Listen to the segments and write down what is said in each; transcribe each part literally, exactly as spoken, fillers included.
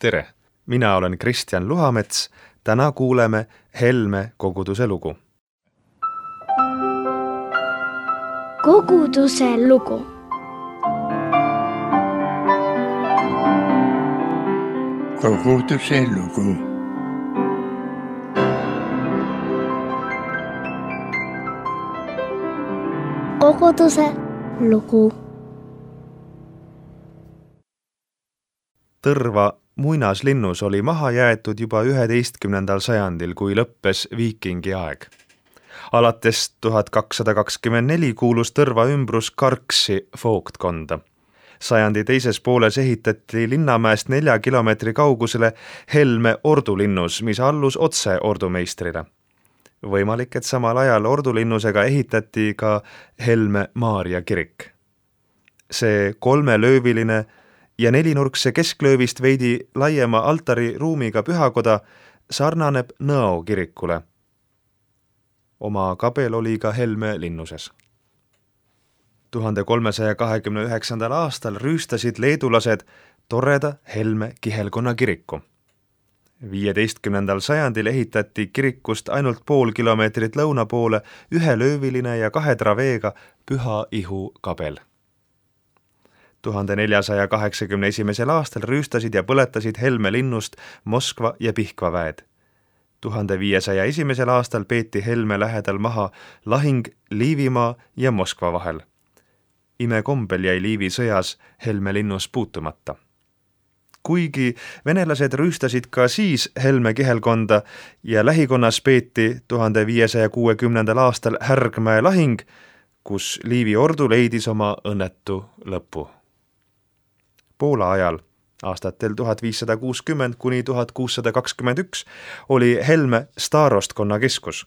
Tere! Mina olen Kristjan Luhamets. Täna kuuleme Helme koguduse lugu. Koguduse lugu. Koguduse lugu. Koguduse lugu. Tõrva muinaslinnus oli maha jäetud juba üheteistkümnendal sajandil, kui lõppes viikingi aeg. Alates tuhat kakssada kakskümmend neli kuulus Tõrva ümbrus Karksi vooktkonda. Sajandi teises pooles ehitati Linnamäest nelja kilomeetri kaugusele Helme ordulinnus, mis allus otse ordumeistrile. Võimalik, et samal ajal ordulinnusega ehitati ka Helme Maarja kirik. See kolmelööviline ja nelinurkse kesklöövist veidi laiema altari ruumiga pühakoda sarnaneb Nõo kirikule. Oma kabel oli ka Helme linnuses. tuhande kolmesaja kahekümne üheksandal aastal rüüstasid leedulased toreda Helme kihelkonna kiriku. viieteistkümnendal sajandil ehitati kirikust ainult pool kilomeetrit lõuna poole ühelööviline ja kahe traveega Püha Ihu kabel. tuhande neljasaja kaheksakümne esimesel aastal rüüstasid ja põletasid Helme linnust Moskva ja Pihkva väed. tuhande viiesaja esimesel aastal peeti Helme lähedal maha lahing Liivimaa ja Moskva vahel. Imekombel jäi Liivi sõjas Helme linnus puutumata. Kuigi venelased rüüstasid ka siis Helme kihelkonda ja lähikonnas peeti tuhande viiesaja kuuekümnendal aastal Härgmäe lahing, kus Liivi ordu leidis oma õnnetu lõpu. Poola ajal, aastatel tuhat viissada kuuskümmend kuni tuhat kuussada kakskümmend üks, oli Helme staarostkonna keskus.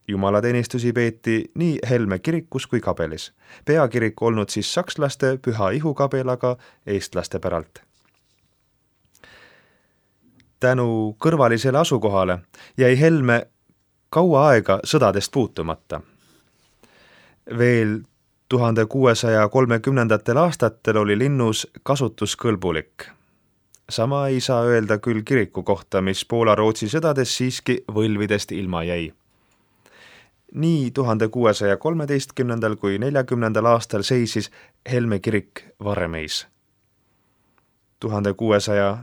Jumalateenistusi peeti nii Helme kirikus kui kabelis. Peakirik olnud siis sakslaste Püha Ihu kabel, aga eestlaste päralt. Tänu kõrvalisele asukohale jäi Helme kaua aega sõdadest puutumata. Veel tuhande kuuesaja kolmekümnendatel aastatel oli linnus kasutuskõlbulik. Sama ei saa öelda küll kiriku kohta, mis Poola-Rootsi sõdades siiski võlvidest ilma jäi. Nii tuhande kuuesaja kolmeteistkümnendal kui neljakümnendal aastal seisis Helme kirik Varemeis. tuhande kuuesaja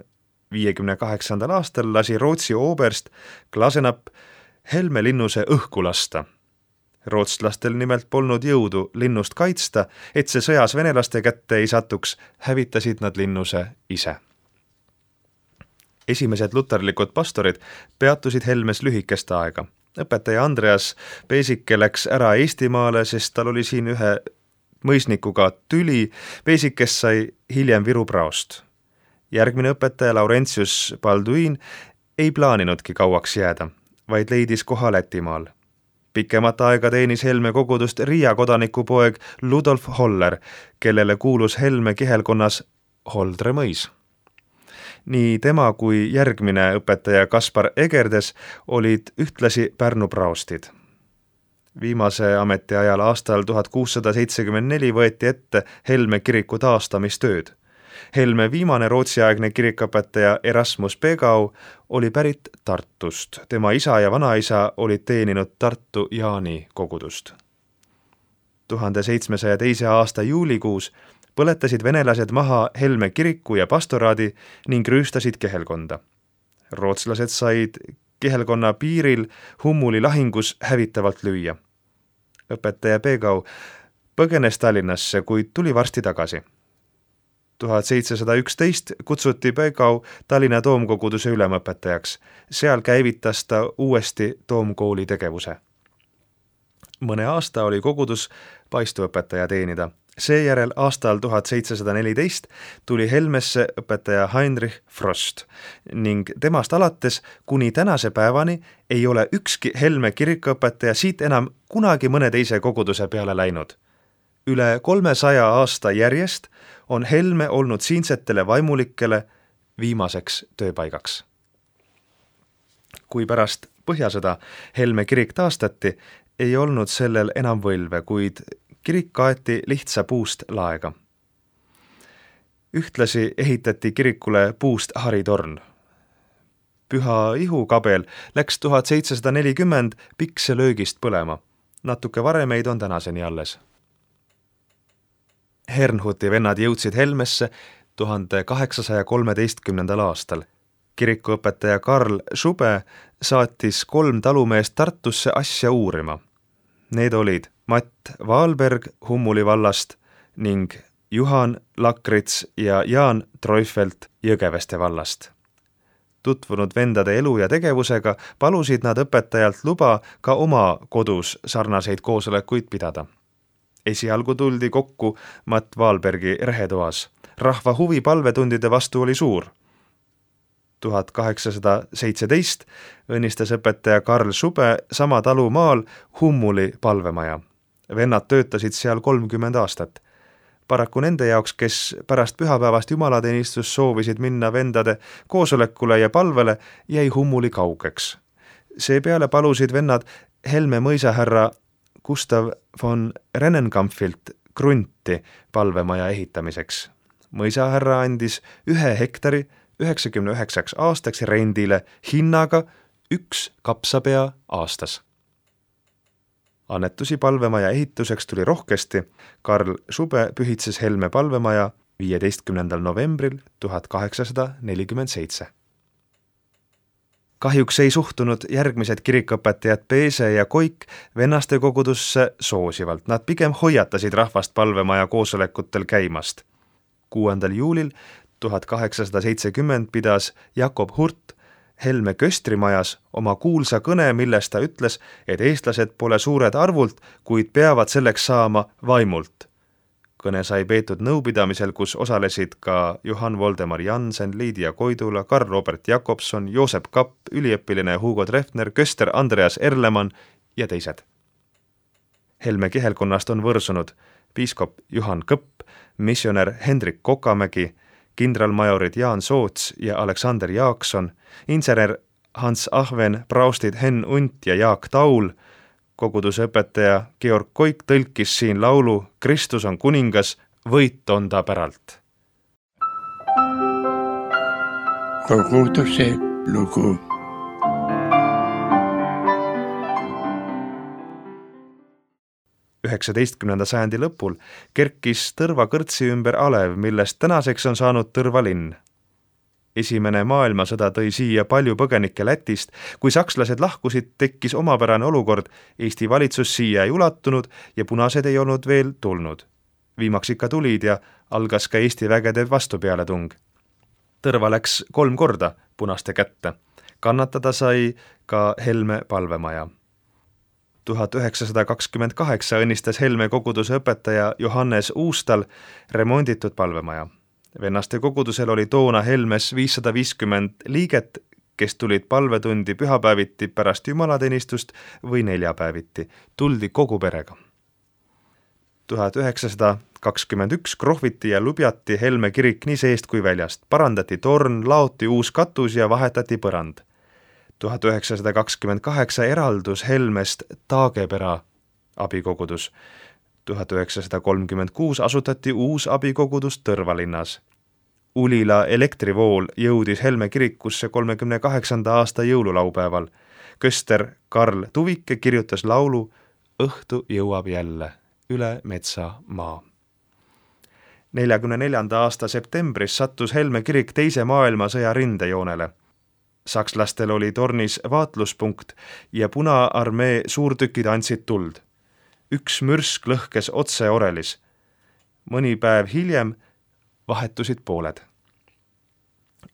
viiekümne kaheksandal aastal lasi Rootsi oberst Glasenapp Helme linnuse õhku lasta. Rootslastel nimelt polnud jõudu linnust kaitsta, et see sõjas venelaste kätte ei satuks, hävitasid nad linnuse ise. Esimesed luterlikud pastorid peatusid Helmes lühikest aega. Õpetaja Andreas Peesike läks ära Eestimaale, sest tal oli siin ühe mõisnikuga tüli. Peesikes sai hiljem Viru praost. Järgmine õpetaja Laurentius Balduin ei plaaninudki kauaks jääda, vaid leidis koha Lätimaal. Pikemat aega teenis Helme kogudust Riia kodanikupoeg Ludolf Holler, kellele kuulus Helme kihelkonnas Holdre mõis. Nii tema kui järgmine õpetaja Kaspar Egerdes olid ühtlasi Pärnu praostid. Viimase ametiajal aastal tuhat kuussada seitsekümmend neli võeti ette Helme kiriku taastamistööd. Helme viimane rootsiaegne kirikõpetaja Erasmus Pegau oli pärit Tartust. Tema isa ja vanaisa olid teeninud Tartu Jaani kogudust. tuhande seitsmesaja teise aasta juulikuus põletasid venelased maha Helme kiriku ja pastoraadi ning rüüstasid kihelkonda. Rootslased said kihelkonna piiril Hummuli lahingus hävitavalt lüüa. Õpetaja Pegau põgenes Tallinnasse, kuid tuli varsti tagasi. tuhat seitsesada üksteist kutsuti Pegau Tallinna toomkoguduse ülemõpetajaks. Seal käivitas ta uuesti toomkooli tegevuse. Mõne aasta oli kogudus paistuõpetaja teenida. Seejärel aastal tuhat seitsesada neliteist tuli Helmesse õpetaja Heinrich Frost ning temast alates kuni tänase päevani ei ole ükski Helme kirikuõpetaja siit enam kunagi mõne teise koguduse peale läinud. Üle kolmesaja aasta järjest on Helme olnud siinsetele vaimulikele viimaseks tööpaigaks. Kui pärast Põhjasõda Helme kirik taastati, ei olnud sellel enam võlve, kuid kirik kaeti lihtsa puust laega. Ühtlasi ehitati kirikule puust haritorn. Püha ihukabel läks tuhat seitsesada nelikümmend pikse löögist põlema. Natuke varemeid on tänaseni alles. Hernhuti vennad jõudsid Helmesse tuhande kaheksasaja kolmeteistkümnendal aastal. Kirikuõpetaja Karl Schube saatis kolm talumeest Tartusse asja uurima. Need olid Matt Valberg Hummuli vallast ning Juhan Lakrits ja Jaan Treufelt Jõgeveste vallast. Tutvunud vendade elu ja tegevusega palusid nad õpetajalt luba ka oma kodus sarnaseid koosolekuid pidada. Esialgu tuldi kokku Matt Valbergi rehetoas. Rahva huvi palvetundide vastu oli suur. tuhat kaheksasada seitseteist õnnistas õpetaja Karl Schube sama talu maal Hummuli palvemaja. Vennad töötasid seal kolmkümmend aastat. Paraku nende jaoks, kes pärast pühapäevast jumalateenistus soovisid minna vendade koosolekule ja palvele, jäi Hummuli kaugeks. Seepeale palusid vennad Helme mõisahärra Gustav von Rennenkampfilt krunti palvemaja ehitamiseks. Mõisahärra andis ühe hektari üheksakümne üheksaks aastaks rendile hinnaga üks kapsapea aastas. Annetusi palvemaja ehituseks tuli rohkesti. Karl Schube pühitses Helme palvemaja viieteistkümnendal novembril tuhat kaheksasada nelikümmend seitse. Kahjuks ei suhtunud järgmised kirikõpetajad Peese ja Koik vennaste kogudusse soosivalt. Nad pigem hoiatasid rahvast palvemaja koosolekutel käimast. kuuendal juulil tuhat kaheksasada seitsekümmend pidas Jakob Hurt Helme köstrimajas oma kuulsa kõne, milles ta ütles, et eestlased pole suured arvult, kuid peavad selleks saama vaimult. Kõne sai peetud nõupidamisel, kus osalesid ka Johan Voldemar Jansen, Liidia Koidula, Karl Robert Jakobson, Joosep Kapp, üliõpiline Hugo Treffner, köster Andreas Erlemann ja teised. Helme kihelkonnast on võrsunud piiskop Juhan Kõpp, missionär Hendrik Kokamägi, kindralmajorid Jaan Soots ja Aleksander Jaakson, insener Hans Ahven, praustid Henn Unt ja Jaak Taul, koguduse õpetaja Georg Koik tõlkis siin laulu Kristus on kuningas, võit on ta päralt. Koguduse lugu. üheksateistkümnenda sajandi lõpul kerkis Tõrva kõrtsi ümber alev, millest tänaseks on saanud Tõrva linn. Esimene maailmasõda tõi siia palju põgenikke Lätist. Kui sakslased lahkusid, tekkis omapärane olukord. Eesti valitsus siia ei ulatunud ja punased ei olnud veel tulnud. Viimaks ikka tulid ja algas ka Eesti vägede vastupealetung. Tõrva läks kolm korda punaste kätte. Kannatada sai ka Helme palvemaja. tuhat üheksasada kakskümmend kaheksa õnnistas Helme koguduse õpetaja Johannes Uustal remonditud palvemaja. Vennaste kogudusel oli toona Helmes viissada viiskümmend liiget, kes tulid palvetundi pühapäeviti pärast jumalateenistust või neljapäeviti. Tuldi kogu perega. tuhat üheksasada kakskümmend üks krohviti ja lubjati Helme kirik nii seest kui väljast. Parandati torn, laoti uus katus ja vahetati põrand. tuhat üheksasada kakskümmend kaheksa eraldus Helmest Taagepera abikogudus. tuhat üheksasada kolmkümmend kuus asutati uus abikogudus Tõrva linnas. Ulila elektrivool jõudis Helme kirikusse kolmekümne kaheksanda aasta jõululaupäeval. Köster Karl Tuvike kirjutas laulu Õhtu jõuab jälle üle metsa maa. neljakümne neljanda aasta septembris sattus Helme kirik teise maailmasõja rindejoonele. Sakslastel oli tornis vaatluspunkt ja Punaarmee suurtükid andsid tuld. Üks mürsk lõhkes otse orelis. Mõni päev hiljem vahetusid pooled.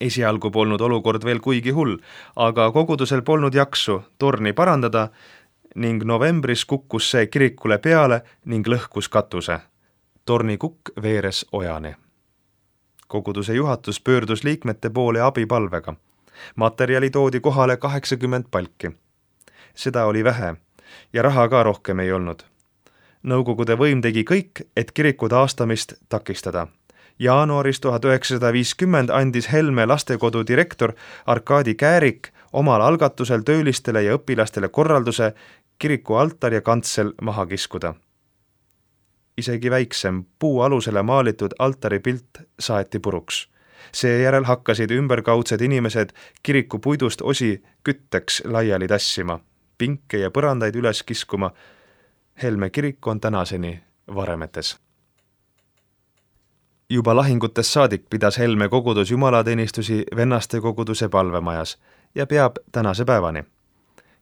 Esialgu polnud olukord veel kuigi hull, aga kogudusel polnud jaksu torni parandada ning novembris kukkus see kirikule peale ning lõhkus katuse. Torni kukk veeres ojani. Koguduse juhatus pöördus liikmete poole abipalvega. Materjali toodi kohale kaheksakümmend palki. Seda oli vähe ja raha ka rohkem ei olnud. Nõukogude võim tegi kõik, et kiriku taastamist takistada. Jaanuaris tuhat üheksasada viiskümmend andis Helme lastekodu direktor Arkadi Käärik omal algatusel töölistele ja õpilastele korralduse kiriku altar ja kantsel maha kiskuda. isegi väiksem puu alusele maalitud altaripilt saeti puruks. Seejärel hakkasid ümberkaudsed inimesed kiriku puidust osi kütteks laiali tassima, pinke ja põrandaid üles kiskuma. Helme kirik on tänaseni varemetes. Juba lahingutes saadik pidas Helme kogudus jumalateenistusi vennaste koguduse palvemajas ja peab tänase päevani.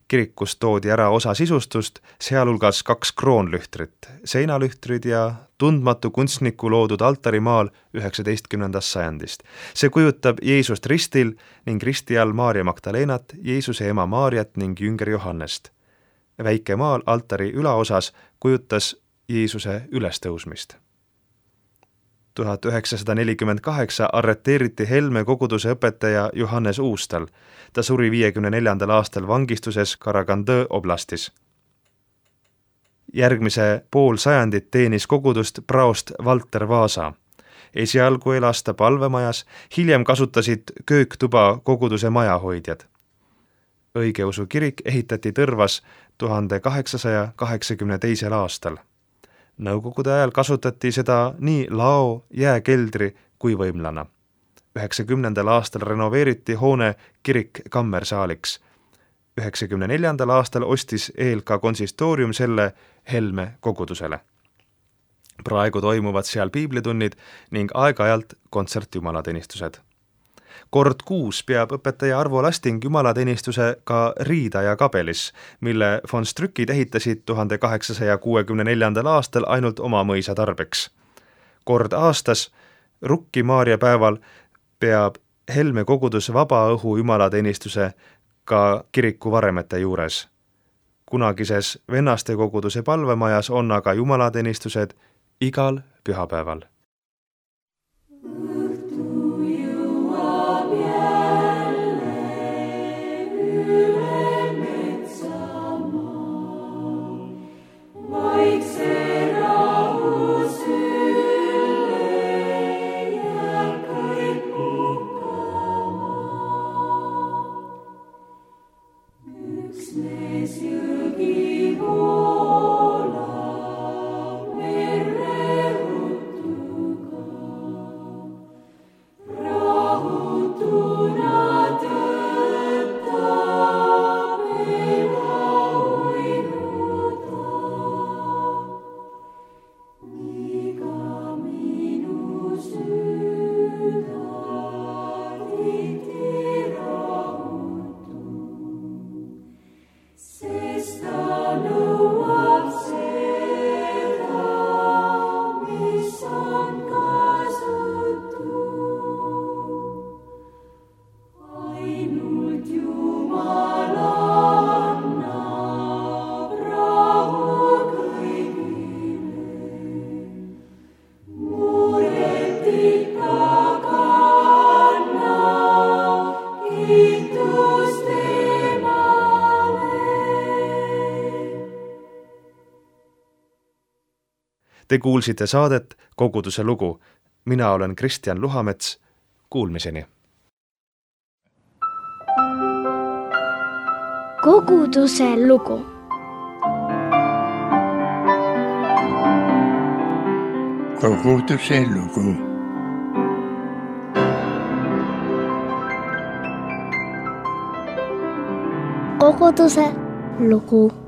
Kirikus toodi ära osa sisustust, sealhulgas kaks kroonlühtrit, seinalühtrid ja tundmatu kunstniku loodud altarimaal üheksateistkümnendast sajandist. See kujutab Jeesust ristil ning risti all Maarja Magdalenat, Jeesuse ema Maarjat ning jünger Johannest. Väike maal altari ülaosas kujutas Jeesuse ülestõusmist. tuhat üheksasada nelikümmend kaheksa arreteeriti Helme koguduse õpetaja Johannes Uustal. Ta suri viiekümne neljandal aastal vangistuses Karagandõ oblastis. Järgmise pool sajandit teenis kogudust praost Valter Vaasa. Esialgu elas ta palvemajas, hiljem kasutasid kööktuba koguduse majahoidjad. Õigeusu kirik ehitati Tõrvas tuhande kaheksasaja kaheksakümne teisel aastal. Nõukogude ajal kasutati seda nii lao, jääkeldri kui võimlana. üheksakümnendal aastal renoveeriti hoone kirik kammersaaliks. üheksakümne neljandal aastal ostis E L K konsistoorium selle Helme kogudusele. Praegu toimuvad seal piiblitunnid ning aeg-ajalt kontsertjumalateenistused. Kord kuus peab õpetaja Arvo Lasting jumalateenistuse ka Riida ja Kabelis, mille von Strükid ehitasid tuhande kaheksasaja kuuekümne neljandal aastal ainult oma mõisa tarbeks. Kord aastas, Rukki Maarja päeval, peab Helme kogudus vaba õhu jumalateenistuse ka kiriku varemete juures. Kunagises vennaste koguduse palvemajas on aga jumalateenistused igal pühapäeval. Te kuulsite saadet Koguduse lugu. Mina olen Kristjan Luhamets. Kuulmiseni. Koguduse lugu. Koguduse lugu. Koguduse lugu.